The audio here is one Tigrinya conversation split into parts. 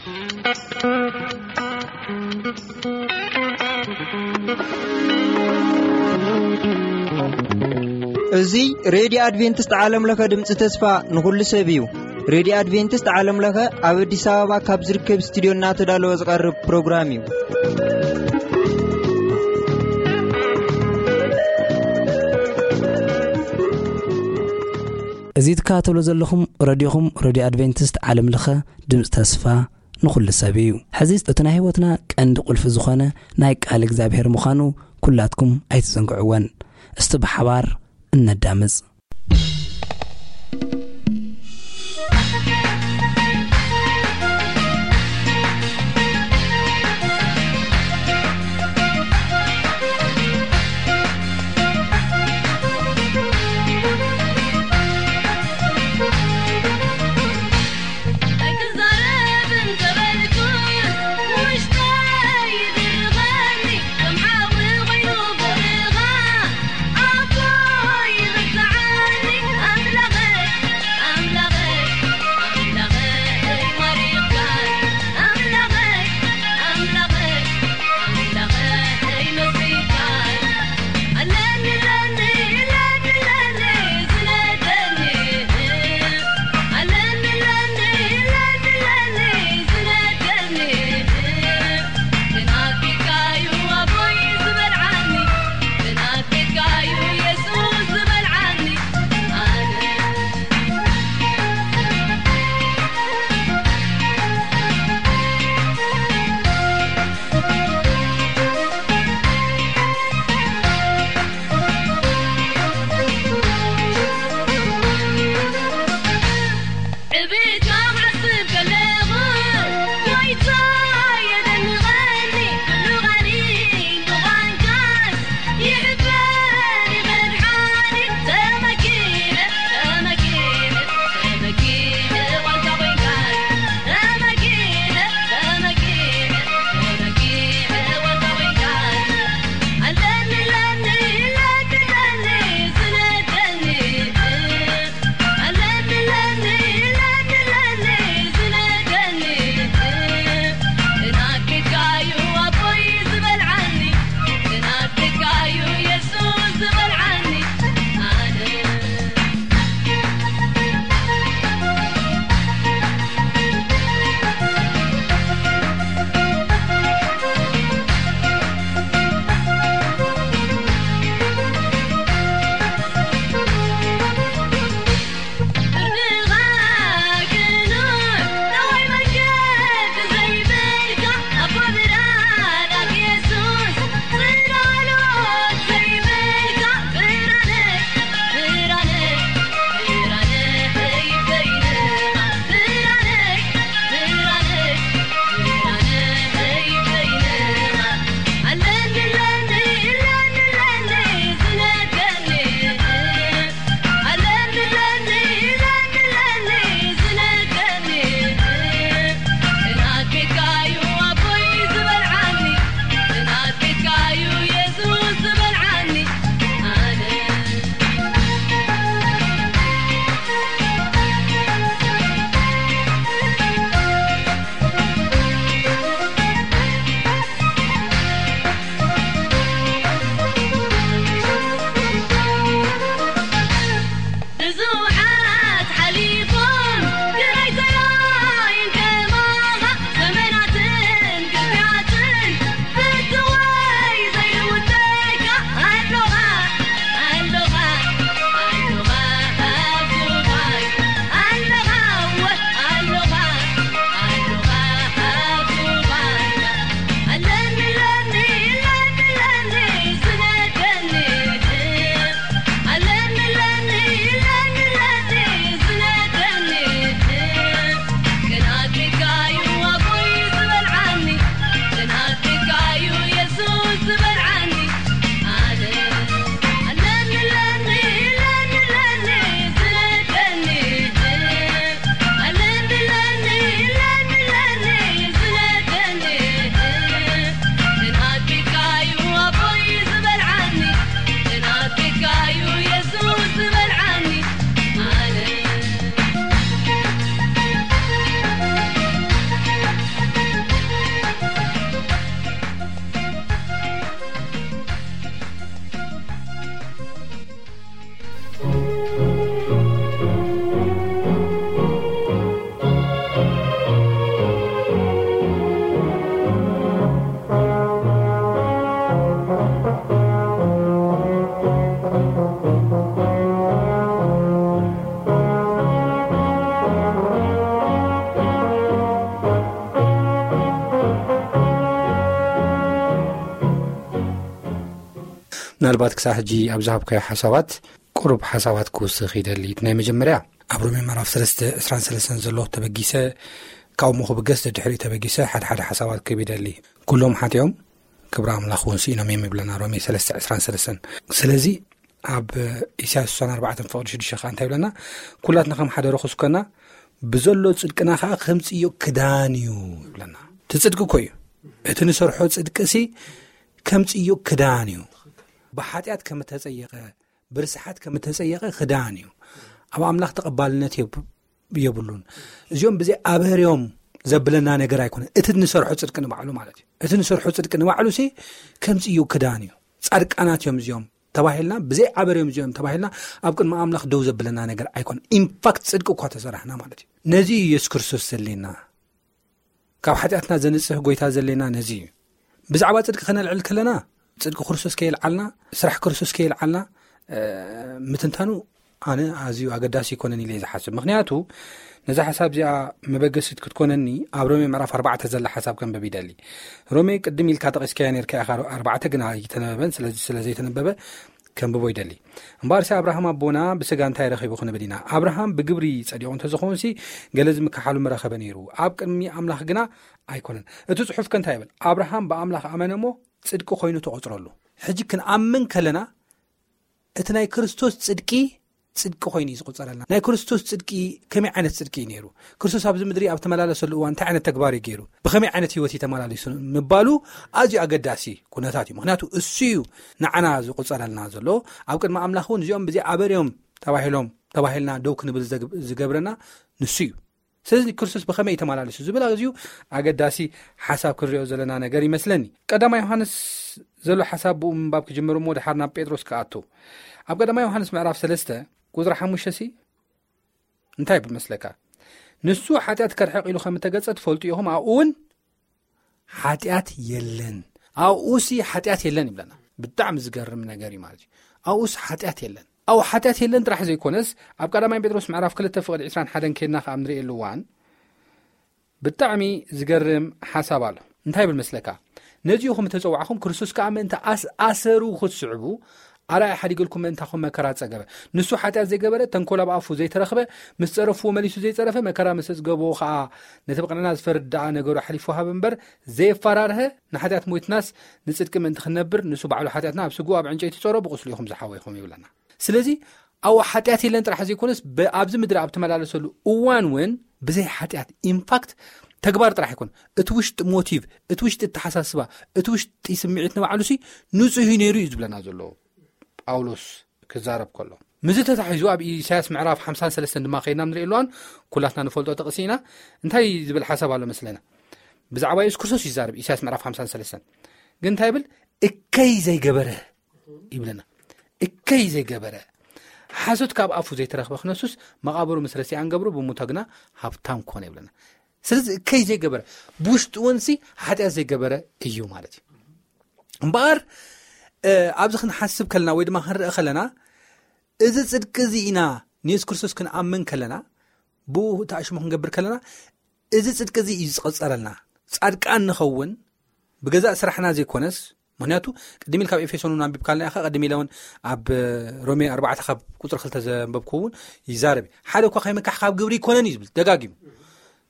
እዚ ሬድዮ ኣድቬንቲስት ዓለም ለኸ ድምፂ ተስፋ ንኹሉ ሰብ እዩ። ሬድዮ ኣድቬንቲስት ዓለም ለኸ ኣብ ኣዲስ ኣበባ ካብ ዝርከብ ስቱዲዮ እናተዳለወ ዝቐርብ ፕሮግራም እዩ። እዚ ትከታተሉ ዘለኹም ረድዮኹም፣ ረድዮ ኣድቬንቲስት ዓለም ለኸ ድምፂ ተስፋ ንኹሉ ሰብ እዩ። ሕዚ እቲ ናይ ህይወትና ቀንዲ ቁልፊ ዝኾነ ናይ ቃል እግዚኣብሔር ምዃኑ ኩላትኩም ኣይትዘንግዕወን። እስቲ ብሓባር እነዳምፅ። ምናልባት ክሳብ ሕጂ ኣብ ዝሃብካዮ ሓሳባት ቁሩብ ሓሳባት ክውስኽ ይደሊ። እቲ ናይ መጀመርያ ኣብ ሮሜ ምዕራፍ ሰለስተ ዕስራን ሰለስተን ዘሎ ተበጊሰ፣ ካብኡ ክብገስ ደድሕሪኡ ተበጊሰ ሓደ ሓደ ሓሳባት ክህብ ይደሊ። ኩሎም ሓጢኦም ክብሪ ኣምላኽ እውን ስኢኖም እዮም ይብለና ሮሜ ሰለስተ ዕስራን ሰለስተን። ስለዚ ኣብ ኢሳያስ ስሳን ኣርባዕተን ፍቕዲ ሽዱሽተ ከዓ እንታይ ይብለና? ኩላትና ከም ሓደ ርኹስ ኮና፣ ብዘሎ ጽድቅና ከዓ ከምጽዮ ክዳን እዩ ይብለና። እቲ ጽድቂ እኮ እዩ። እቲ ንሰርሖ ጽድቂ ሲ ከምጽዮ ክዳን እዩ። ብሓጢኣት ከም እተጸየቐ፣ ብርስሓት ከም እተጸየቐ ክዳን እዩ። ኣብ ኣምላኽ ተቐባልነት የብ-፣ የብሉን። እዚኦም ብዘይ ኣበርዮም ዘብለና ነገር ኣይኮነን። እቲ ንሰርሖ ጽድቂ ንባዕሉ ማለት እዩ። እቲ ንሰርሖ ጽድቂ ንባዕሉ ሲ ከምጽዮ ክዳን እዩ። ጻድቃናት እዮም እዚኦም ተባሂልና፣ ብዘይ ኣበርዮም እዚኦም ተባሂልና ኣብ ቅድሚ ኣምላኽ ደው ዘብለና ነገር ኣይኮነን። ኢንፋክት ጽድቂ እኳ ተሰራሕና ማለት እዩ። ነዚ እዩ የሱስ ክርስቶስ ዘድልየና። ካብ ሓጢኣትና ዘንጽህ ጎይታ ዘድልየና ነዚ እዩ። ብዛዕባ ጽድቂ ከነልዕል ከለና፣ ጽድቂ ክርስቶስ ከየልዓልና፣ ስራሕ ክርስቶስ ከየልዓልና፣ እ፣ ምትንታኑ ኣነ ኣዝዩ ኣገዳሲ ይኮነን ኢለ እየ ዝሓስብ። ምኽንያቱ ነዛ ሓሳብ እዚኣ መበገሲት ክትኮነኒ ኣብ ሮሜ ምዕራፍ ኣርባዕተ ዘላ ሓሳብ ከንብብ ይደሊ። ሮሜ ቅድም ኢልካ ጠቒስካያ ነርካ ኢኻ፣ ኣርባዕተ ግን ኣይተነበበን። ስለዚ ስለ ዘይተነበበ ከንብቦ ይደሊ። እምበኣርሲ ኣብርሃም ኣቦና ብስጋ እንታይ ረኺቡ ክንብል ኢና? ኣብርሃም ብግብሪ ጸዲቑ እንተዝኾንሲ፣ ገለ ዝምክሓሉ ምረኸበ ነይሩ። ኣብ ቅድሚ ኣምላኽ ግና ኣይኮነን። እቲ ጽሑፍ ከ እንታይ ይብል? ኣብርሃም ብኣምላኽ ኣመነ እሞ ጽድቂ ኮይኑ ተቖጽረሉ። ሕጂ ክንኣምን ከለና፣ እቲ ናይ ክርስቶስ ጽድቂ፣ ጽድቂ ኮይኑ እዩ ዝቑጸረልና። ናይ ክርስቶስ ጽድቂ ከመይ ዓይነት ጽድቂ እዩ ነይሩ? ክርስቶስ ኣብዚ ምድሪ ኣብ ተመላለሰሉ እዋን እንታይ ዓይነት ተግባር እዩ ገይሩ? ብኸመይ ዓይነት ህይወት እዩ ተመላሊሱ? ምባሉ ኣዝዩ ኣገዳሲ ኩነታት እዩ። ምኽንያቱ እሱ እዩ ንዓና ዝቑጸረልና ዘሎ። ኣብ ቅድሚ ኣምላኽ እውን እዚኦም ብዘይ ኣበርዮም ተባሂሎም፣ ተባሂልና ደው ክንብል ዘግ-፣ ዝገብረና ንሱ እዩ። ስለዚ ክርስቶስ ብኸመይ እዩ ተመላሊሱ ዝብል ኣዝዩ ኣገዳሲ ሓሳብ ክንሪኦ ዘለና ነገር ይመስለኒ። ቀዳማይ ዮሃንስ ዘሎ ሓሳብ ብኡ ምንባብ ክጅምር እሞ፣ ድሓር ናብ ጴጥሮስ ክኣቱ። ኣብ ቀዳማይ ዮሃንስ ምዕራፍ ሰለስተ ቁጽሪ ሓሙሽተ ሲ እንታይ ይብል መስለካ? "ንሱ ሓጢኣት ከርሕቕ ኢሉ ከም እተገጸ ትፈልጡ ኢኹም፣ ኣብኡ እውን ሓጢኣት የለን። ኣብኡ ሲ ሓጢኣት የለን" ይብለና። ብጣዕሚ ዝገርም ነገር እዩ ማለት እዩ። ኣብኡ ሲ ሓጢኣት የለን። ኣብኡ ሓጢኣት የለን ጥራሕ ዘይኮነስ፣ ኣብ ቀዳማይ ጴጥሮስ ምዕራፍ ክልተ ፍቕዲ ዕስራን ሓደን ከድና ከኣ ንርእየሉ እዋን፣ ብጣዕሚ ዝገርም ሓሳብ ኣሎ። እንታይ ይብል መስለካ? "ነዚኡ ከም እተጸዋዕኹም፣ ክርስቶስ ከኣ ምእንቲ ኣስ-፣ ኣሰሩ ክትስዕቡ፣ ኣርኣያ ሓዲገልኩም ምእንታኹም መከራ ጸገበ። ንሱ ሓጢኣት ዘይገበረ፣ ተንኮል ኣብ ኣፉ ዘይተረኽበ፣ ምስ ጸረፍዎ መሊሱ ዘይጸረፈ፣ መከራ ምስ ኣጽገቦ ከኣ፣ ነቲ ብቕንዕና ዝፈርድ ደኣ ነገሩ ኣሕሊፉ ሃበ እምበር፣ ዘየፈራርሀ፣ ንሓጢኣት ሞይትናስ ንጽድቂ ምእንቲ ክንነብር፣ ንሱ ባዕሉ ሓጢኣትና ኣብ ስግኡ ኣብ ዕንጨይቲ ጸሮ፣ ብቁስሉ ኢኹም ዝሓወይኹም" ይብለና። ስለዚ ኣብኡ ሓጢኣት የለን ጥራሕ ዘይኮነስ፣ ብ-፣ ኣብዚ ምድሪ ኣብ ተመላለሰሉ እዋን እውን ብዘይ ሓጢኣት፣ ኢንፋክት ተግባር ጥራሕ ኣይኮን፣ እቲ ውሽጢ ሞቲቭ፣ እቲ ውሽጢ ኣተሓሳስባ፣ እቲ ውሽጢ ስምዒት ንባዕሉ ሲ ንጹህ እዩ ነይሩ እዩ ዝብለና ዘሎ ጳውሎስ ክዛረብ ከሎ። ምስዚ ተታሒዙ ኣብ ኢሳያስ ምዕራፍ ሓምሳን ሰለስተን ድማ ከይድና ንርኢ ኣለዋን፣ ኩላትና ንፈልጦ ጥቕሲ ኢና። እንታይ ዝብል ሓሳብ ኣሎ መስለና? ብዛዕባ የሱስ ክርስቶስ ይዛረብ ኢሳያስ ምዕራፍ ሓምሳን ሰለስተን። ግን እንታይ ይብል? "እከይ ዘይገበረ" ይብለና። "እከይ ዘይገበረ፣ ሓሶት ካብ ኣፉ ዘይተረኽበ ክነሱስ፣ መቓብሩ ምስ ረሲኣን ገብሩ፣ ብሞቶ ግና ሃብታም ኮነ" ይብለና። ስለዚ እከይ ዘይገበረ፣ ብውሽጡ እውን ሲ ሓጢኣት ዘይገበረ እዩ ማለት እዩ። እምበኣር፣ እ፣ ኣብዚ ክንሓስብ ከለና ወይ ድማ ክንርኢ ከለና፣ እዚ ጽድቂ እዚ ኢና ንየሱስ ክርስቶስ ክንኣምን ከለና፣ ብኡ ተኣሽሙ ክንገብር ከለና፣ እዚ ጽድቂ እዚ እዩ ዝቐጸረልና። ጻድቃን ንኸውን ብገዛእ ስራሕና ዘይኮነስ፣ ምኽንያቱ ቅድም ኢልካ ኣብ ኤፌሶን እውን ኣንቢብካልና ኢኻ፣ ቅድም ኢለ እውን ኣብ ሮሜ ኣርባዕተ ካብ ቁጽሪ ክልተ ዘንበብኩ እውን ይዛረብ እዩ። "ሓደ እኳ ከይምካሕ ካብ ግብሪ ኣይኮነን" እዩ ዝብል ደጋጊሙ።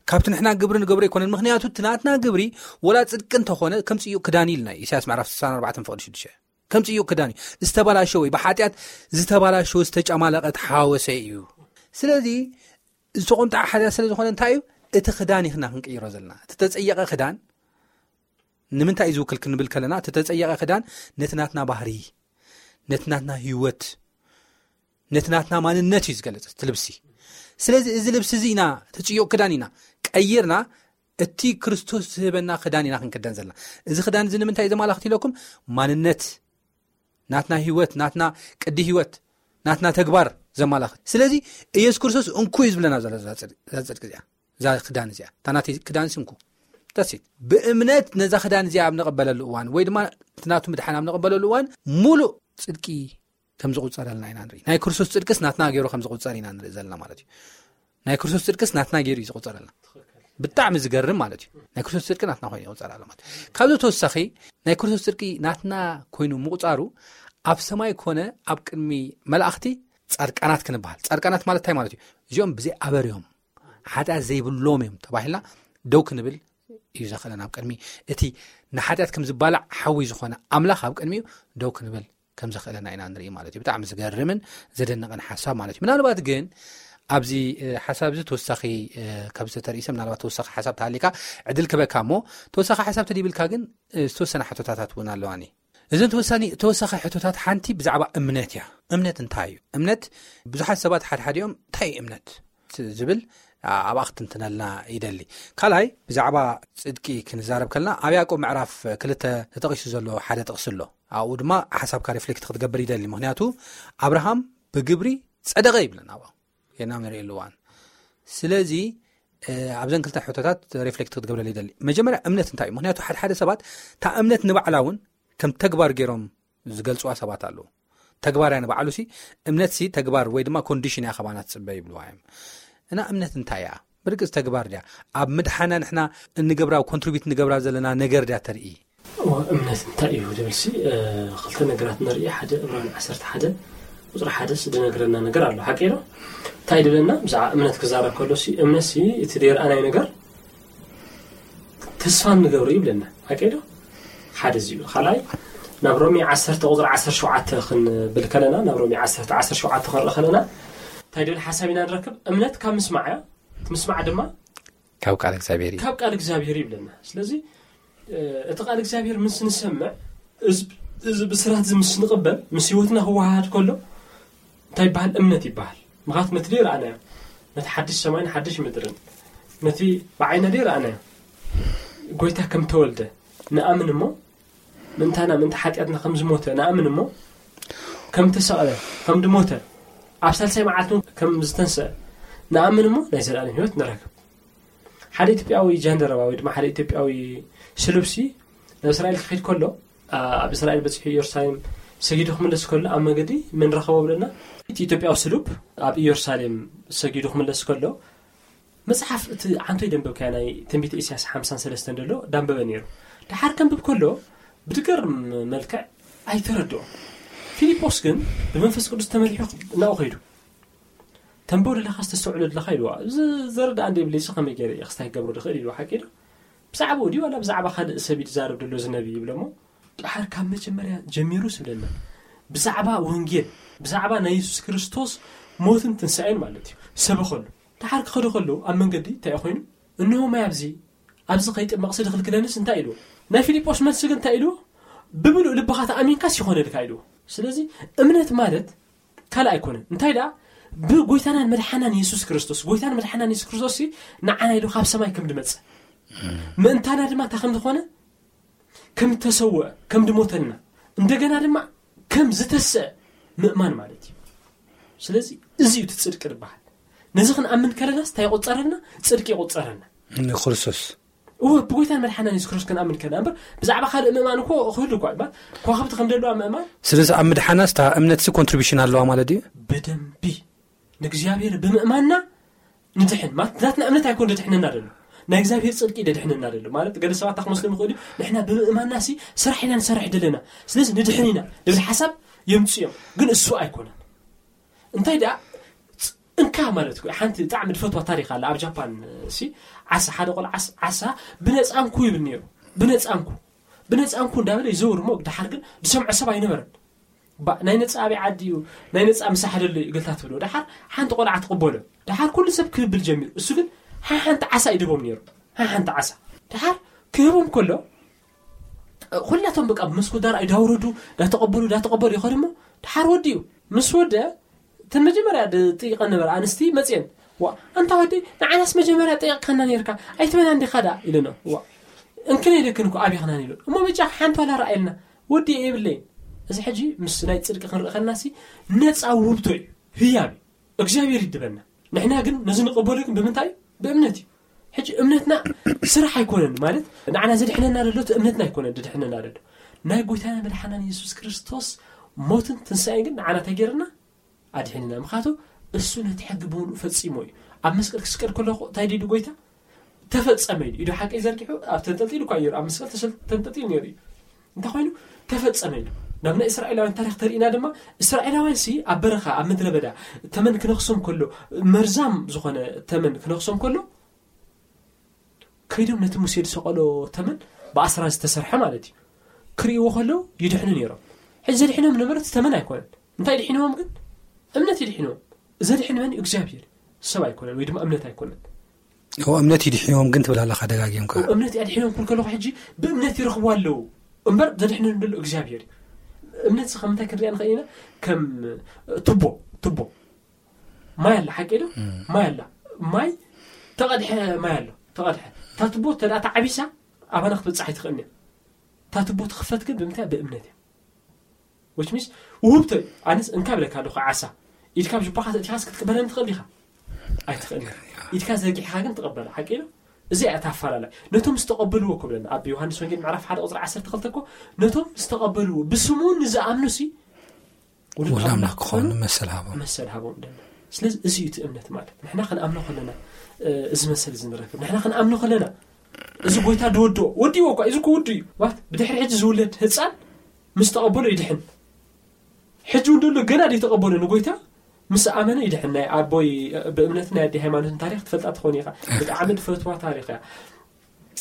"ካብቲ ንሕና ግብሪ ንገብሮ ኣይኮነን፣ ምኽንያቱ እቲ ናትና ግብሪ ወላ ጽድቂ እንተኾነ ከም ጽዩቕ ክዳን" ኢልና፣ ኢሳያስ ምዕራፍ ስሳን ኣርባዕተን ፍቕዲ ሽዱሽተ። ከም ጽዩቕ ክዳን እዩ። ዝተበላሸወ እዩ፣ ብሓጢኣት ዝተበላሸወ፣ ዝተጨማለቐ፣ ተሓወሰ እዩ። ስለዚ ዝተቖንጠዐ ሓጢኣት ስለ ዝኾነ እንታይ እዩ? እቲ ክዳን ኢኽና ክንቅይሮ ዘለና። እቲ ተጸየቐ ክዳን ንምንታይ እዩ ዝውክል ክንብል ከለና፣ እቲ ተጸየቐ ክዳን ነቲ ናትና ባህሪ፣ ነቲ ናትና ህይወት፣ ነቲ ናትና ማንነት እዩ ዝገልጽ እቲ ልብሲ። ስለዚ እዚ ልብሲ እዚ ኢና፣ እቲ ጽዩቕ ክዳን ኢና ቀይርና፣ እቲ ክርስቶስ ዝህበና ክዳን ኢና ክንክደን ዘለና። እዚ ክዳን እዚ ንምንታይ እዩ ዘማላኽት ኢለኩም? ማንነት፣ ናትና ህይወት፣ ናትና ቅዲ ህይወት፣ ናትና ተግባር ዘማላኽት። ስለዚ ኢየሱስ ክርስቶስ እንኩ እዩ ዝብለና ዘሎ እዛ ጽድ-፣ እዛ ጽድቂ እዚኣ፣ እዛ ክዳን እዚኣ፣ እታ ናተይ ክዳን ሲ እንኩ። That's it። ብእምነት ነዛ ክዳን እዚኣ ኣብ ንቕበለሉ እዋን፣ ወይ ድማ እቲ ናቱ ምድሓን ኣብ ንቕበለሉ እዋን፣ ሙሉእ ጽድቂ ከም ዝቑጸረልና ኢና ንርኢ። ናይ ክርስቶስ ጽድቅስ ናትና ገይሩ ከም ዝቑጸር ኢና ንርኢ ዘለና ማለት እዩ። ናይ ክርስቶስ ጽድቅስ ናትና ገይሩ እዩ ዝቑጸረልና። ብጣዕሚ ዝገርም ማለት እዩ። ናይ ክርስቶስ ጽድቂ ናትና ኮይኑ ይቑጸር ኣሎ ማለት እዩ። ካብዚ ተወሳኺ፣ ናይ ክርስቶስ ጽድቂ ናትና ኮይኑ ምቑጻሩ ኣብ ሰማይ ኮነ ኣብ ቅድሚ መላእኽቲ ጻድቃናት ክንበሃል። ጻድቃናት ማለት እንታይ ማለት እዩ? እዚኦም ብዘይ ኣበር እዮም፣ ሓጢኣት ዘይብሎም እዮም ተባሂልና ደው ክንብል እዩ ዘኽእለና። ኣብ ቅድሚ እቲ ንሓጢኣት ከም ዝባላዕ ሓዊ ዝኾነ ኣምላኽ ኣብ ቅድሚኡ ደው ክንብል ከም ዘኽእለና ኢና ንርኢ ማለት እዩ። ብጣዕሚ ዝገርምን ዘደንቕን ሓሳብ ማለት እዩ። ምናልባት ግን ኣብዚ ሓሳብ እዚ ተወሳኺ ካብ ዝተርእሰ ምናልባት ተወሳኺ ሓሳብ ተሃሊካ ዕድል ክበካ እሞ፣ ተወሳኺ ሓሳብ ተዲብልካ ግን ዝተወሰነ ሕቶታታት እውን ኣለዋኒ። እዘን ተወሳኒ ተወሳኺ ሕቶታት ሓንቲ ብዛዕባ እምነት እያ። እምነት እንታይ እዩ? እምነት ብዙሓት ሰባት ሓድሓዲኦም እንታይ እዩ እምነት ዝብል ኣብኣ ክትንትነልና ይደሊ። ካልኣይ ብዛዕባ ጽድቂ ክንዛረብ ከለና ኣብ ያዕቆብ ምዕራፍ ክልተ ተጠቒሱ ዘሎ ሓደ ጥቕሲ ኣሎ። ኣብኡ ድማ ሓሳብካ ሪፍሌክት ክትገብር ይደሊ። ምክንያቱ ኣብርሃም ብግብሪ ጸደቐ ይብለና ኣብኣ ጌና ንርእየሉ እዋን። ስለዚ ኣብዘን ክልተ ሕቶታት ሪፍሌክት ክትገብረሉ ይደሊ። መጀመርያ እምነት እንታይ እዩ? ምክንያቱ ሓደ ሓደ ሰባት እታ እምነት ንባዕላ እውን ከም ተግባር ገይሮም ዝገልፅዋ ሰባት ኣለዉ። ተግባር እያ ንባዕሉ ሲ እምነት ሲ ተግባር ወይ ድማ ኮንዲሽን እያ ከባና ትፅበ ይብልዋ እዮም። እና እምነት እንታይ እያ? ብርግፅ ተግባር ድያ? ኣብ ምድሓና ንሕና እንገብራ ኮንትሪቢዩት ንገብራ ዘለና ነገር ድያ ተርኢ? እምነት እንታይ እዩ ዝብል ሲ ክልተ ነገራት ንርኢ። ሓደ ዕብራን ዓሰርተ ሓደ ቁፅሪ ሓደ ዝነግረና ነገር ኣሎ። ሓቂ ዶ እንታይ ድብለና? ብዛዕባ እምነት ክዛረብ ከሎ ሲ እምነት ሲ እቲ ደይረኣናይ ነገር ተስፋ እንገብሮ ይብለና። ሓቂ ዶ ሓደ እዚ እዩ። ካልኣይ ናብ ሮሜ ዓሰርተ ቁፅሪ ዓሰርተ ሸውዓተ ክንብል ከለና ናብ ሮሜ ዓሰርተ ዓሰርተ ሸውዓተ ክንርኢ ከለና እንታይ ድብል ሓሳብ ኢና ንረክብ? እምነት ካብ ምስማዕ እያ፣ እቲ ምስማዕ ድማ ካብ ቃል እግዚኣብሔር እዩ። ካብ ቃል እግዚኣብሔር ይብለና። ስለዚ እቲ ቃል እግዚኣብሔር ምስ ንሰምዕ እዚ ብስራት እዚ ምስ ንቕበል ምስ ህይወትና ክወሃሃድ ከሎ እንታይ ይበሃል? እምነት ይበሃል። ምክንያቱ ነቲ ደይረኣናዮ ነቲ ሓድሽ ሰማይን ሓድሽ ምድርን ነቲ ብዓይና ደይረኣናዮ ጎይታ ከም ተወልደ ንኣምን እሞ ምእንታና ምእንቲ ሓጢኣትና ከም ዝሞተ ንኣምን እሞ ከም ተሰቕለ ከም ዝሞተ ኣብ ሳልሳይ መዓልቲ ከም ዝተንስአ ንኣምን እሞ ናይ ዘላለም ህይወት ንረክብ። ሓደ ኢትዮጵያዊ ጃንደረባ ወይ ድማ ሓደ ኢትዮጵያዊ ስሉብሲ ናብ እስራኤል ክኸይድ ከሎ ኣብ እስራኤል በፂሑ ኢየሩሳሌም ሰጊዱ ክምለስ ከሎ ኣብ መገዲ መን ረኸቦ ብለና? እቲ ኢትዮጵያዊ ስሉብ ኣብ ኢየሩሳሌም ሰጊዱ ክምለስ ከሎ መፅሓፍ እቲ ዓንቶ ይደንበብካያ ናይ ትንቢት ኢሳያስ ሓምሳን ሰለስተን ደሎ ዳንበበ ነይሩ። ድሓር ከንብብ ከሎ ብትገርም መልክዕ ኣይተረድኦ። ፊልጶስ ግን ብመንፈስ ቅዱስ ተመሪሑ እናኡ ከይዱ ተንበው ደለኻ ዝተስተውዕሎ ደለኻ ኢልዋ። እዚ ዘረዳእ እንደ ብለይሲ ከመይ ገይረ እየ ክስታይ ክገብሮ ድኽእል ኢልዋ። ሓቂ ዶ? ብዛዕባኡ ድዩ ዋላ ብዛዕባ ካልእ ሰብ እዩ ዝዛረብ ደሎ እዚ ነቢ ይብለሞ። ድሓር ካብ መጀመርያ ጀሚሩ ስብለና ብዛዕባ ወንጌል ብዛዕባ ናይ የሱስ ክርስቶስ ሞትን ትንሳኤን ማለት እዩ ሰበኸሉ። ድሓር ክኸዱ ከለዉ ኣብ መንገዲ እንታይ ኮይኑ እንሆ ማይ ኣብዚ ኣብዚ ከይጥመቕ ስድኽልክለንስ እንታይ ኢልዎ? ናይ ፊልጶስ መልሲ ግን እንታይ ኢልዎ? ብምሉእ ልብኻ ተኣሚንካስ ይኾነልካ ኢልዎ። ስለዚ እምነት ማለት ካልእ ኣይኮነን። እንታይ ደኣ ብጎይታናን መድሓናን የሱስ ክርስቶስ ጎይታን መድሓናን የሱስ ክርስቶስ ንዓና ኢሉ ካብ ሰማይ ከም ድመጽእ ምእንታና ድማ እንታይ ከም ዝኾነ ከም ተሰውአ ከም ድሞተልና እንደገና ድማ ከም ዝተስአ ምእማን ማለት እዩ። ስለዚ እዚ እዩ እቲ ጽድቂ ዝበሃል። ነዚ ክንኣምን ከለናስ እንታይ ይቆጸረልና? ጽድቂ ይቆጸረልና። ንክርስቶስ እወ ብጎይታን መድሓናን የሱስ ክርስቶስ ክንኣምን ከለና እምበር ብዛዕባ ካልእ ምእማን እኮ ክህሉ እኳ እባ ከዋኽብቲ ከም ደለዋ ምእማን ስለዚ ኣብ ምድሓናስ እታ እምነትሲ ኮንትሪቢሽን ኣለዋ ማለት ድዩ? ብደንቢ ንእግዚኣብሔር ብምእማንና ንድሕን ማለት ናትና እምነት ኣይኮን ደድሕነና ደሎ ናይ እግዚኣብሔር ፅድቂ ደድሕነና ደሎ ማለት ገለ ሰባት ክመስሎም ይኽእሉ እዩ። ንሕና ብምእማንና ሲ ስራሕ ኢና ንሰርሕ ደለና ስለዚ ንድሕን ኢና ዝብል ሓሳብ የምፅኡ እዮም። ግን እሱ ኣይኮነን። እንታይ ደኣ እንካ ማለት እኮ ሓንቲ ብጣዕሚ ዝፈትዋ ታሪክ ኣላ ኣብ ጃፓን ሲ ዓሳ ሓደ ቆልዓ ዓሳ ብነፃ እንኩ ይብል ነይሩ። ብነፃ እንኩ ብነፃ እንኩ እንዳበለ ይዘውር እሞ ድሓር ግን ዝሰምዖ ሰብ ኣይነበረን። ባ ናይ ነፃ ኣበይ ዓዲ እዩ ናይ ነፃ ምሳሕ ደሎ እዩ እግልታ ትብሎ ድሓር ሓንቲ ቆልዓ ትቕበሎ ድሓር ኩሉ ሰብ ክህብል ጀሚሩ እሱ ግን ሓሓንቲ ዓሳ ይድቦም ነይሩ። ሓሓንቲ ዓሳ ድሓር ክህቦም ከሎ ኩላቶም በቃ ብመስኮት ዳር ኣይዳውረዱ ዳተቐበሉ ዳተቐበሉ ይኸዱ እሞ ድሓር ወዲ እዩ ምስ ወደ እተን መጀመርያ ጥይቐን ነበረ ኣንስቲ መፅየን ዋ ኣንታ ወዲ ንዓናስ መጀመርያ ጠይቕካና ነርካ ኣይትበና እንዲኻ ዳ ኢለኖ ዋ እንክነ ኢለክን እኮ ኣብይኽናን ኢሉ እሞ ብጫ ሓንቲ ዋላ ረኣየልና ወዲ የብለይን። እዚ ሕጂ ምስ ናይ ፅድቂ ክንርኢ ከለና ሲ ነፃ ውህብቶ እዩ ህያብ እዩ እግዚኣብሔር ይድበና። ንሕና ግን ነዚ ንቐበሎ ግን ብምንታይ እዩ? ብእምነት እዩ። ሕጂ እምነትና ስራሕ ኣይኮነን ማለት ንዓና ዘድሕነና ዘሎ እቲ እምነትና ኣይኮነን ድድሕነና ዘሎ ናይ ጎይታና መድሓናን የሱስ ክርስቶስ ሞትን ትንሳኤን ግን ንዓና እንታይ ገይርና ኣድሒንና ምክንያቱ እሱ ነቲ ሕጊ ብምሉእ ፈጺሞ እዩ። ኣብ መስቀል ክስቀል ከሎ እንታይ ድዩ ጎይታ ተፈጸመ ኢሉ ኢዱ ሓቂ ዘርጊሑ ኣብ ተንጠልጢሉ እኳ እዩ ኣብ መስቀል ተንጠልጢሉ ነይሩ እዩ። እንታይ ኮይኑ ተፈጸመ ኢሉ ናብ ናይ እስራኤላውያን ታሪኽ ተርእና ድማ፣ እስራኤላውያን ሲ ኣብ በረኻ፣ ኣብ ምድረ በዳ ተመን ክነኽሶም ከሎ፣ መርዛም ዝኾነ ተመን ክነኽሶም ከሎ፣ ከይዶም ነቲ ሙሴ ዝሰቐሎ ተመን፣ ብኣስራ ዝተሰርሐ ማለት እዩ፣ ክርእይዎ ከለዉ ይድሕኑ ነይሮም። ሕጂ ዘድሕኖም ነበረት ተመን ኣይኮነን። እንታይ ድሒንዎም ግን? እምነት ይድሒንዎም። ዘድሕን መን እዩ? እግዚኣብሔር። ሰብ ኣይኮነን፣ ወይ ድማ እምነት ኣይኮነን። እምነት ይድሕንዎም ግን ትብል ኣለኻ ደጋጊምካ። እምነት ኣድሒኖም ክብል ከለኹ፣ ሕጂ ብእምነት ይረኽቡ ኣለዉ እምበር፣ ዘድሕነን ዘሎ እግዚኣብሔር እዩ። እምነት ዚ ከም እንታይ ክንሪኣ ንኽእል ኢና? ከም ቱቦ፣ ቱቦ ማይ ኣላ፣ ሓቂ ዶ? ማይ ኣላ፣ ማይ ተቐድሐ፣ ማይ ኣሎ፣ ተቐድሐ። እታ ቱቦ ተደኣ ተዓቢሳ፣ ኣባና ክትበጽሕ ኣይትኽእልን እያ። እታ ቱቦ ትኽፈት ግን ብምንታይ? ብእምነት እያ። Which means ውህብቶ እዩ። ኣነስ እንካ ብለካ ኣለኹ፣ ዓሳ ኢድካ ኣብ ጅባኻ ተእቲኻስ ክትቅበለን ትኽእል ኢኻ? ኣይትኽእል ኢኻ። ኢድካ ዘርጊሕኻ ግን ትቕበላ። ሓቂ ነው። እዚ እያ እታ ኣፋላላይ። ነቶም ዝተቐበልዎ እኮ ብለና ኣብ ዮሃንስ ወንጌል ምዕራፍ ሓደ ቁፅሪ ዓሰርተ ክልተ እኮ፣ ነቶም ዝተቐበልዎ ብስሙ ንዝኣምኑ ሲ ውሉድ ውሉድ ኣምላኽ ኣምላኽ ክኾኑ ክኾኑ መሰል ሃቦም። መሰል ሃቦም ደና። ስለዚ እዚ እዩ እቲ እምነት ማለት። ንሕና ክንኣምኖ ከለና፣ እ፣ እዚ መሰል እዚ ንረክብ። ንሕና ክንኣምኖ ከለና፣ እዚ ጎይታ ድወድኦ፣ ወዲዎ እኳ፣ እዚ እኮ ውዱ እዩ። ዋት፣ ብድሕሪ ሕጂ ዝውለድ ህፃን ምስ ተቐበሎ ይድሕን። ሕጂ እውን ደሎ ገና ዘይተቐበሎ ንጎይታ ምስ ኣመነ ይድሕን። ናይ ኣቦይ፣ እ፣ ብእምነትን ናይ ኣዲ ሃይማኖትን ታሪኽ ትፈልጣ ትኾን ኢኻ። ብጣዕሚ ድፈትዋ ታሪኽ እያ።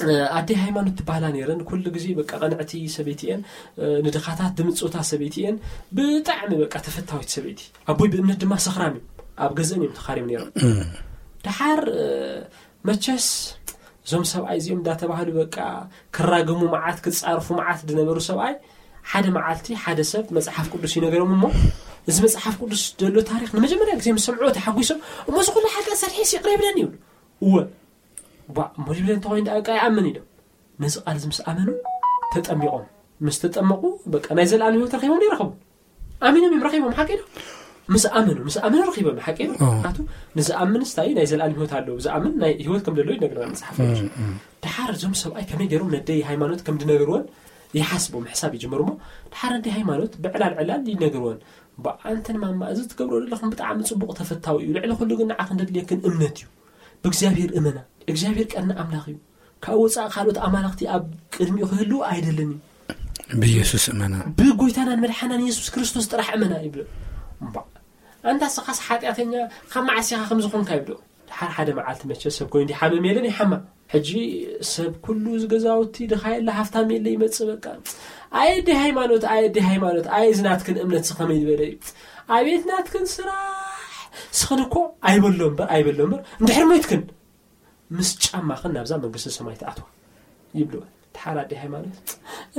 እ፣ ኣዲ ሃይማኖት ትባህላ ነይረን። ኩሉ ግዜ በቃ ቀንዕቲ ሰበይቲ እየን። እ፣ ንድኻታት ድምጽውታ ሰበይቲ እየን። ብጣዕሚ በቃ ተፈታዊት ሰበይቲ። ኣቦይ ብእምነት ድማ ሰኽራም እዩ። ኣብ ገዝእን እዮም ተኻሪም ነይሮም። እም። ደሓር፣ እ፣ መቸስ እዞም ሰብኣይ እዚኦም እንዳተባህሉ በቃ ክራገሙ መዓት፣ ክጻርፉ መዓት ዝነበሩ ሰብኣይ፣ ሓደ መዓልቲ ሓደ ሰብ መጽሓፍ ቅዱስ ይነገሮም እሞ፣ እዚ መጽሓፍ ቅዱስ ዘሎ ታሪኽ ንመጀመርያ ግዜ ምስ ሰምዕዎ ተሓጒሶም፣ "እሞ እዚ ኩሉ ሓጢኣት ሰሪሐስ ይቕረ ይብለኒ?" ይብሉ። "እወ። ባ፣ እሞ ይብለኒ እንተኾይኑ ደኣ በቃ ይኣምን" ኢሎም። ነዚ ቃል እዚ ምስ ኣመኑ ተጠሚቖም። ምስ ተጠመቑ በቃ ናይ ዘለኣለም ህይወት ረኺቦም ዶ ይረኸቡ? ኣሚኖም እዮም ረኺቦም፣ ሓቂ ዶ? ምስ ኣመኑ፣ ምስ ኣመኑ ረኺቦም፣ ሓቂ ዶ? ኦ። ምኽንያቱ ንዝኣምን ስታይ ናይ ዘለኣለም ህይወት ኣለዎ። ዝኣምን ናይ ህይወት ከም ዘለዎ ይነግረና መጽሓፍ ቅዱስ። እም፣ እም። ደሓር እዞም ሰብኣይ ከመይ ገይሮም ነደይ ሃይማኖት ከም ዝነገርወን ይሓስቡ፣ ምሕሳብ ይጅምሩ እሞ፣ ደሓር ኣደይ ሃይማኖት ብዕላል ዕላል ይነግርወን። "በኣንተን ማማ፣ እዚ ትገብሮ ዘለኹም ብጣዕሚ ጽቡቕ ተፈታዊ እዩ። ልዕሊ ኩሉ ግን ንዓኽን ዘድልየክን እምነት እዩ። ብእግዚኣብሔር እመና። እግዚኣብሔር ቀና ኣምላኽ እዩ። ካብ ወጻኢ ካልኦት ኣማልኽቲ ኣብ ቅድሚኡ ክህልዉ ኣይደልን እዩ። ብኢየሱስ እመና። ብጎይታናን መድሓናን የሱስ ክርስቶስ ጥራሕ እመና" ይብሎ። እምባ፣ ኣንታ ስኻስ ሓጢኣተኛ፣ ካብ መዓስ ኢኻ ከም ዝኾንካ ይብሎ። ደሓር ሓደ መዓልቲ መቸ ሰብ ኮይኑ እንዲ ሓመም የለን ይሓማ። ሕጂ ሰብ ኩሉ እዚ ገዛውቲ ድኻ የለ ሃፍታም የለ ይመጽእ በቃ። "ኣየ ኣደይ ሃይማኖት፣ ኣየ ኣደይ ሃይማኖት፣ ኣየ እዚ ናትክን እምነት እዚ ከመይ ዝበለ እዩ? ኣቤት ናትክን ስራሕ! ስኽን እኮ ኣይበሎ እምበር፣ ኣይበሎ እምበር፣ እንድሕር ሞይትክን ምስ ጫማኽን ናብዛ መንግስቲ ሰማይ ትኣትዋ" ይብልወን። ደሓር ኣደይ ሃይማኖት፣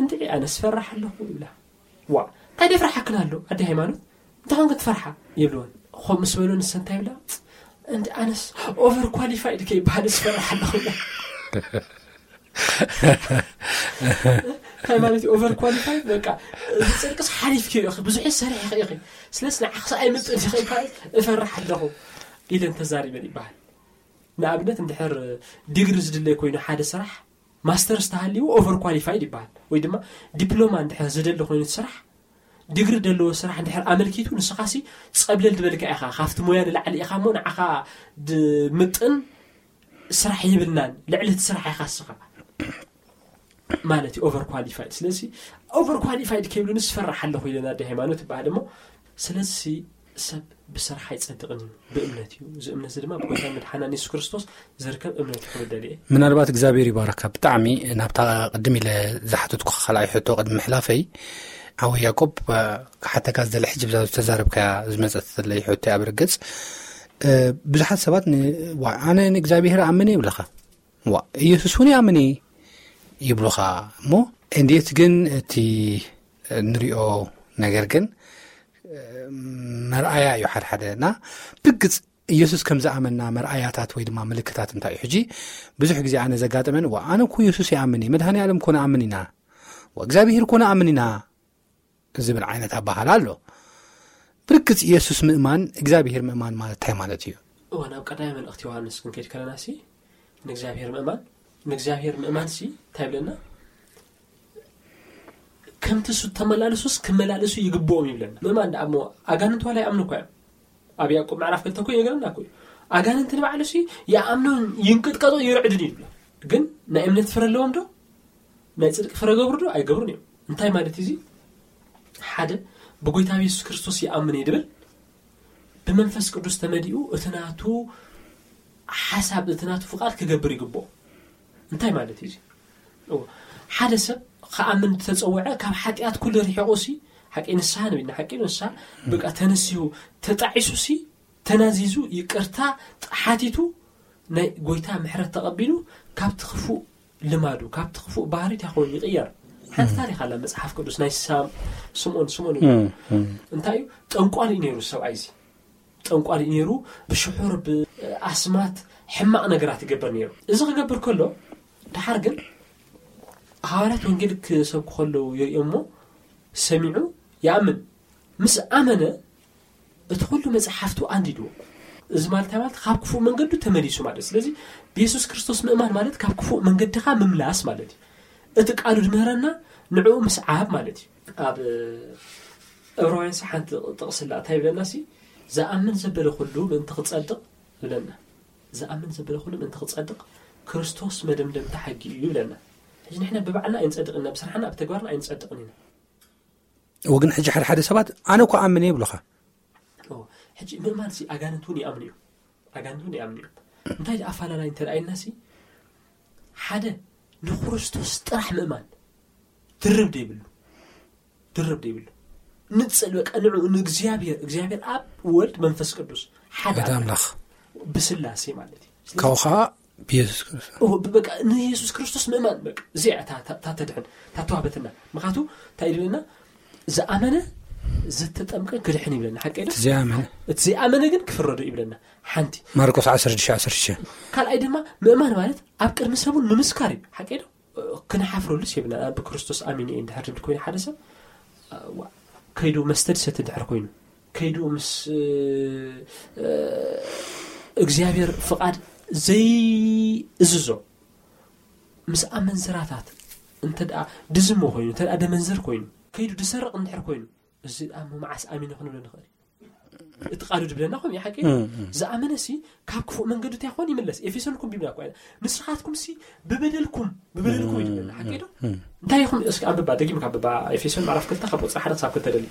"እንድዒ ኣነስ ፈራሕ ኣለኹ" ይብላ። "ዋ፣ እንታይ ደፍርሓክን ኣሎ ኣደይ ሃይማኖት? እንታይ ኮንክ ትፈርሓ?" ይብልወን። ኾ ምስ በሉ ንሰ እንታይ ይብላ? "እንዲ ኣነስ ኦቨር ኳሊፋይድ ከይበሃል ዝፈርሕ ኣለኹ" ኢላ። እንታይ ማለት እዩ ኦቨር ኳሊፋይድ? በቃ፣ እዚ ጽድቅስ ሓሊፍክዮ ኢኺ፣ ብዙሕ ሰሪሕኺ ኢኺ። ስለዚ ንዓኽስ ኣይምጥን ኢኺ ይበሃል፣ "እፈርሕ ኣለኹ" ኢለን ተዛሪበን ይበሃል። ንኣብነት፣ እንድሕር ዲግሪ ዝድለይ ኮይኑ ሓደ ስራሕ፣ ማስተርስ ተሃልይዎ ኦቨር ኳሊፋይድ ይበሃል። ወይ ድማ ዲፕሎማ እንድሕር ዝደሊ ኮይኑ እቲ ስራሕ፣ ዲግሪ ዘለዎ ስራሕ እንድሕር ኣመልኪቱ፣ ንስኻሲ ጸብለል ዝበልካ ኢኻ፣ ካብቲ ሞያ ንላዕሊ ኢኻ እሞ ንዓኻ ድምጥን ስራሕ የብልናን፣ ልዕሊ እቲ ስራሕ ኢኻ ንስኻ ማለት እዩ ኦቨር ኳሊፋይድ። ስለዚ ኦቨር ኳሊፋይድ ከይብሉንስ ፈራሕ ኣለኹ ኢለን ኣደ ሃይማኖት ይበሃል እሞ፣ ስለዚ ሰብ ብስራሕ ኣይጸድቕን እዩ፣ ብእምነት እዩ። እዚ እምነት እዚ ድማ ብጎይታ መድሓናን የሱስ ክርስቶስ ዝርከብ እምነት እዩ ክብል ደልየ። ምናልባት እግዚኣብሔር ይባርካ። ብጣዕሚ ናብታ ቅድም ኢለ ዝሓተትኩ ካልኣይ ሕቶ ቅድሚ ምሕላፈይ፣ ሓወይ ያዕቆብ፣ እ፣ ክሓተካ ዝደሊ ሕጂ ብዛ ዝተዛረብካያ ዝመጸት ዘለይ ሕቶ እያ። ብርግጽ፣ እ፣ ብዙሓት ሰባት ን-፣ "ዋ፣ ኣነ ንእግዚኣብሔር እኣምን እየ" ይብለኻ። "ዋ፣ ኢየሱስ እውን ይኣምን እየ" ይብሉኻ። እሞ እንዴት ግን እቲ እንሪኦ ነገር ግን፣ እ፣ መርኣያ እዩ። ሓደ ሓደ እና ብግጽ ኢየሱስ ከም ዝኣመና መርኣያታት ወይ ድማ ምልክታት እንታይ እዩ? ሕጂ ብዙሕ ግዜ ኣነ ዘጋጠመን፣ "ዋ፣ ኣነ እኮ ኢየሱስ ይኣምን እየ፣ መድኃኔ ዓለም እኮ ንኣምን ኢና፣ ዋ፣ እግዚኣብሔር እኮ ንኣምን ኢና" ዝብል ዓይነት ኣባህላ ኣሎ። ብርግጽ ኢየሱስ ምእማን፣ እግዚኣብሔር ምእማን ማለት እንታይ ማለት እዩ? እወ፣ ናብ ቀዳማይ መልእኽቲ ዮሃንስ ክንከይድ ከለና ሲ፣ ንእግዚኣብሔር ምእማን፣ ንእግዚኣብሔር ምእማን ሲ እንታይ ይብለና? "ከምቲ እሱ እተመላለሱስ ክመላለሱ ይግብኦም" ይብለና። ምእማን ደኣ እሞ ኣጋንንት ዋላ ይኣምኑ እኮ እዮም። ኣብ ያዕቆብ ምዕራፍ ክልተ እኮ ይነግረና እኮ እዩ። ኣጋንንቲ ንባዕሉ ሲ ይኣምኑን ይንቅጥቀጡ ይርዕዱን ይብሎ። ግን ናይ እምነት ፍረ ኣለዎም ዶ? ናይ ጽድቂ ፍረ ገብሩ ዶ? ኣይገብሩን እዮም። እንታይ ማለት እዩ እዚ? ሓደ ብጎይታ የሱስ ክርስቶስ ይኣምን እየ ድብል ብመንፈስ ቅዱስ ተመሊኡ እቲ ናቱ ሓሳብ፣ እቲ ናቱ ፍቓድ ክገብር ይግብኦ። እንታይ ማለት እዩ እዚ? እዎ፣ ሓደ ሰብ ክኣምን ዝተጸውዐ ካብ ሓጢኣት ኩሉ ርሒቑ ሲ፣ ሓቂ ንስሓ ንብል ኢና፣ ሓቂ ንስሓ በቃ ተነሲሁ ተጣዒሱ ሲ፣ ተናዚዙ ይቅርታ ሓቲቱ ናይ ጎይታ ምሕረት ተቐቢሉ ካብቲ ክፉእ ልማዱ፣ ካብቲ ክፉእ ባህሪ እንታይ ኮይኑ ይቕየር። ሓንቲ ታሪኽ ኣላ መጽሓፍ ቅዱስ ናይ ሳም-፣ ስምኦን፣ ስምኦን እዩ። እንታይ እዩ? ጠንቋሊ እዩ ነይሩ ሰብኣይ እዚ። ጠንቋሊ እዩ ነይሩ። ብሽሑር፣ ብኣስማት፣ ሕማቕ ነገራት ይገብር ነይሩ። እዚ ክገብር ከሎ ድሓር ግን ሃዋርያት ወንጌል ክሰብኩ ከለዉ ይርእዮ እሞ ሰሚዑ ይኣምን። ምስ ኣመነ እቲ ኩሉ መጽሓፍቱ ኣንዲድዎ። እዚ ማለት እንታይ ማለት? ካብ ክፉእ መንገዱ ተመሊሱ ማለት። ስለዚ ብየሱስ ክርስቶስ ምእማን ማለት ካብ ክፉእ መንገድኻ ምምላስ ማለት እዩ። እቲ ቃሉ ድምህረና ንዕኡ ምስዓብ ማለት እዩ። ኣብ ዕብራውያን ሓንቲ ጥቕስላ እንታይ ይብለና ሲ? "ዝኣምን ዘበለ ኩሉ ምእንቲ ክጸድቕ" ይብለና። "ዝኣምን ዘበለ ኩሉ ምእንቲ ክጸድቕ ክርስቶስ መደምደምታ ሕጊ እዩ" ይብለና። ሕጂ ንሕና ብባዕልና ኣይንጸድቕን ኢና፣ ብስራሕና ብተግባርና ኣይንጸድቕን ኢና። ወግን ሕጂ ሓደ ሓደ ሰባት ኣነ እኮ ኣምን እየ ይብሉኻ። ኦ፣ ሕጂ ምእማን ሲ ኣጋንንት እውን ይኣምኑ እዮም። ኣጋንንት እውን ይኣምኑ እዮም። እንታይ ደኣ ኣፈላላይ እንተ ደኣ ኢልና ሲ ሓደ ንክርስቶስ ጥራሕ ምእማን ድርብ ደይብሉ፣ ድርብ ደይብሉ። ንጽል በቃ ንዑ ንእግዚኣብሔር፣ እግዚኣብሔር ኣብ ወልድ መንፈስ ቅዱስ ሓደ ሓደ ኣምላኽ። ኣምላኽ ብስላሴ ማለት እዩ። ስለዚ ካብኡ ኸዓ ብየሱስ ክርስቶስ። ኦ፣ ብ-፣ በቃ ንየሱስ ክርስቶስ ምእማን በቃ እዚኣ እታ፣ እታ፣ እታ ተድሕን፣ እታ ተዋህበትና። ምኽንያቱ እንታይ ይብለና? "ዝኣመነ ዘተጠምቀ ክድሕን" ይብለና። ሓቂ ዶ? እቲ ዘይኣመነ። እቲ ዘይኣመነ ግን ክፍረዶ ይብለና። ሓንቲ። ማርቆስ ዓሰርተ ሽዱሽተ ዓሰርተ ሽዱሽተ። ካልኣይ ድማ ምእማን ማለት ኣብ ቅድሚ ሰቡን ንምስካር እዩ። ሓቂ ዶ? ክንሓፍረሉስ የብልና። ኣብ ክርስቶስ ኣሚን እየ እንድሕር ዝብል ኮይኑ ሓደ ሰብ፣ ዋ፣ ከይዱ መስተ ዝሰቲ እንድሕር ኮይኑ፣ ከይዱ ምስ፣ እ፣ እግዚኣብሔር ፍቓድ ዘይእዝዞ፣ ምስ ኣመንዝራታት እንተ ደኣ ድዝሞ ኮይኑ፣ እንተ ደኣ ደመንዝር ኮይኑ፣ ከይዱ ድሰርቕ እንድሕር ኮይኑ፣ እዚ ደኣ እሞ መዓስ ኣሚነ ክንብሎ ንኽእል? እቲ ቃሉ ድብለና ከምኡ እዩ፣ ሓቂ እዩ። እም፣ እም። ዝኣመነሲ ካብ ክፉእ መንገዱ እንታይ ይኾን ይምለስ። ኤፌሶን እኮ ቢብላ እኮ እያ። "ንስኻትኩምሲ ብበደልኩም፣ ብበደልኩም" እዩ ድብለና፣ ሓቂ ዶ? እም። እንታይ ኢኹም? እስኪ ኣንብባ፣ ደጊምካ ኣንብባ። ኤፌሶን ምዕራፍ ክልተ ካብ ቁጽሪ ሓደ ክሳብ ክልተ ደሊ።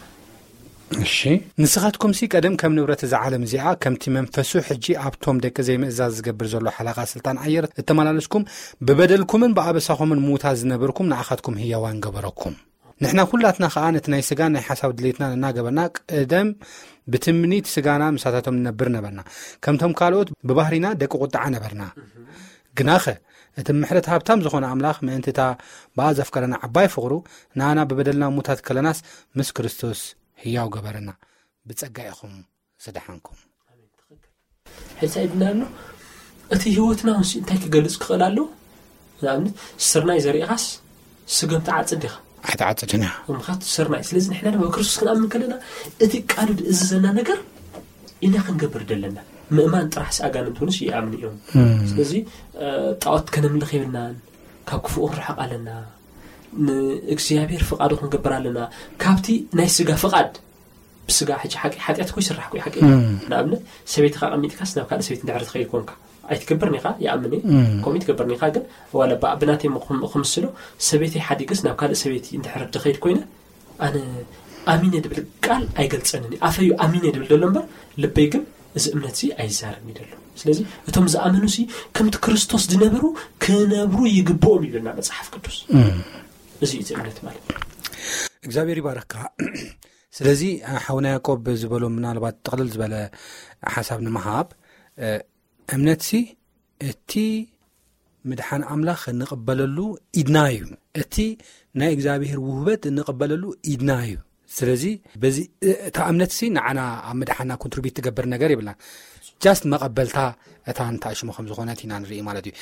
እሺ። "ንስኻትኩምሲ ቀደም ከም ንብረት እዛ ዓለም እዚኣ፣ ከምቲ መንፈሱ ሕጂ ኣብቶም ደቂ ዘይምእዛዝ ዝገብር ዘሎ ሓለቓ ስልጣን ኣየር እተመላለስኩም፣ ብበደልኩምን ብኣበሳኹምን ምዉታት ዝነበርኩም፣ ንዓኻትኩም ህያዋን ገበረኩም። ንሕና ኩላትና ኸኣ ነቲ ናይ ስጋን ናይ ሓሳብ ድሌትና እናገበርና፣ ቀደም ብትምኒት ስጋና ምሳታቶም ንነብር ነበርና። ከምቶም ካልኦት ብባህሪና ደቂ ቁጥዓ ነበርና። ግናኸ እቲ ምሕረት ሃብታም ዝኾነ ኣምላኽ፣ ምእንቲ እታ ብኣ ዘፍቀረና ዓባይ ፍቕሩ፣ ንኣና ብበደልና ሙታት ከለናስ ምስ ክርስቶስ ህያው ገበረና። ብጸጋ ኢኹም ዝደሓንኩም።" ሕልሳ ኢድና ኣሎ። እቲ ህይወትና እውን ሲ እንታይ ክገልጽ ክኽእል ኣለዎ? ንኣብነት፣ ስርናይ ዘሪእኻስ ስገም ትዓጽድ ዲኻ? ኣይትዓጽድን ኢኻ። ምኽንያቱ ስርናይ። ስለዚ ንሕና ድማ ብክርስቶስ ክንኣምን ከለና፣ እቲ ቃሉ ዝእዝዘና ነገር ኢና ክንገብር ደለና። ምእማን ጥራሕሲ ኣጋንንት እውንስ ይኣምኑ እዮም። እም። ስለዚ፣ እ፣ ጣዖት ከነምልኽ የብልናን፣ ካብ ክፉእ ክንርሕቕ ኣለና፣ ንእግዚኣብሔር ፍቓዱ ክንገብር ኣለና። ካብቲ ናይ ስጋ ፍቓድ ብስጋ ሕጂ ሓቂ-፣ ሓጢኣት እኮ ይስራሕ እኮ እዩ፣ ሓቂ እዩ። እም። ንኣብነት፣ ሰበይትኻ ኣቐሚጥካስ ናብ ካልእ ሰበይቲ እንድሕር ትኸይድ ኮንካ፣ ኣይትገብርን ኢኻ፣ ይኣምን እየ። እም። ከምኡ ይትገብርን ኢኻ፣ ግን ዋላ ብ-፣ ብናተይ ም-፣ ክም-፣ ክምስሎ፣ ሰበይተይ ሓዲገስ ናብ ካልእ ሰበይቲ እንድሕር ድኸይድ ኮይነ፣ ኣነ ኣሚነ ድብል ቃል ኣይገልጸንን እዩ። ኣፈይ እዩ ኣሚነ ድብል ዘሎ እምበር፣ ልበይ ግን እዚ እምነት እዚ ኣይዛረብን እዩ ዘሎ። ስለዚ፣ እቶም ዝኣመኑ ሲ ከምቲ ክርስቶስ ዝነበሩ ክነብሩ ይግብኦም ይብለና መጽሓፍ ቅዱስ። እም። እዚ እዩ እቲ እምነት ማለት። እግዚኣብሔር ይባርካ። ስለዚ፣ ሓውና ያዕቆብ ዝበሎ ምናልባት ጥቕልል ዝበለ ሓሳብ ንምሃብ፣ እ፣ እምነትሲ እቲ ምድሓን ኣምላኽ እንቕበለሉ ኢድና እዩ። እቲ ናይ እግዚኣብሔር ውህበት እንቕበለሉ ኢድና እዩ። ስለዚ በዚ፣ እ፣ እታ እምነትሲ ንዓና ኣብ ምድሓና ኮንትሪቢዩት ትገብር ነገር የብላን። ጃስት መቐበልታ እታ እንተኣሽሙ ከም ዝኾነት ኢና ንርኢ ማለት እዩ።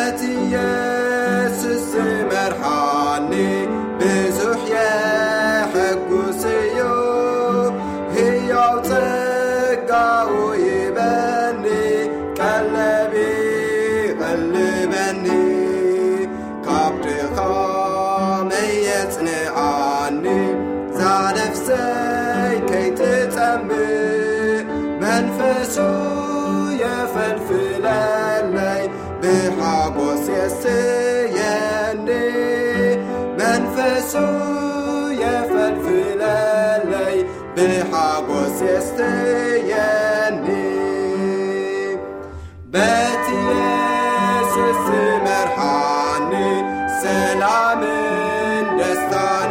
እቲ ኢየሱስ ዝመርሓኒ ብዙሕ የሐጉስ እዩ። ህያው ጸጋኡ ይበኒ፣ ቀለቢ ይቐልበኒ፣ ካብ ድኻመይ የጽንዓኒ። ዛነፍሰይ ከይትጸምእ መንፈሱ የፈልፍለለይ፣ ብሓጎስ የስተየኒ። መንፈሱ የፈልፍለለይ፣ ብሓጎስ የስተየኒ። በቲ ኢየሱስ ዝመርሓኒ ሰላምን ደስታን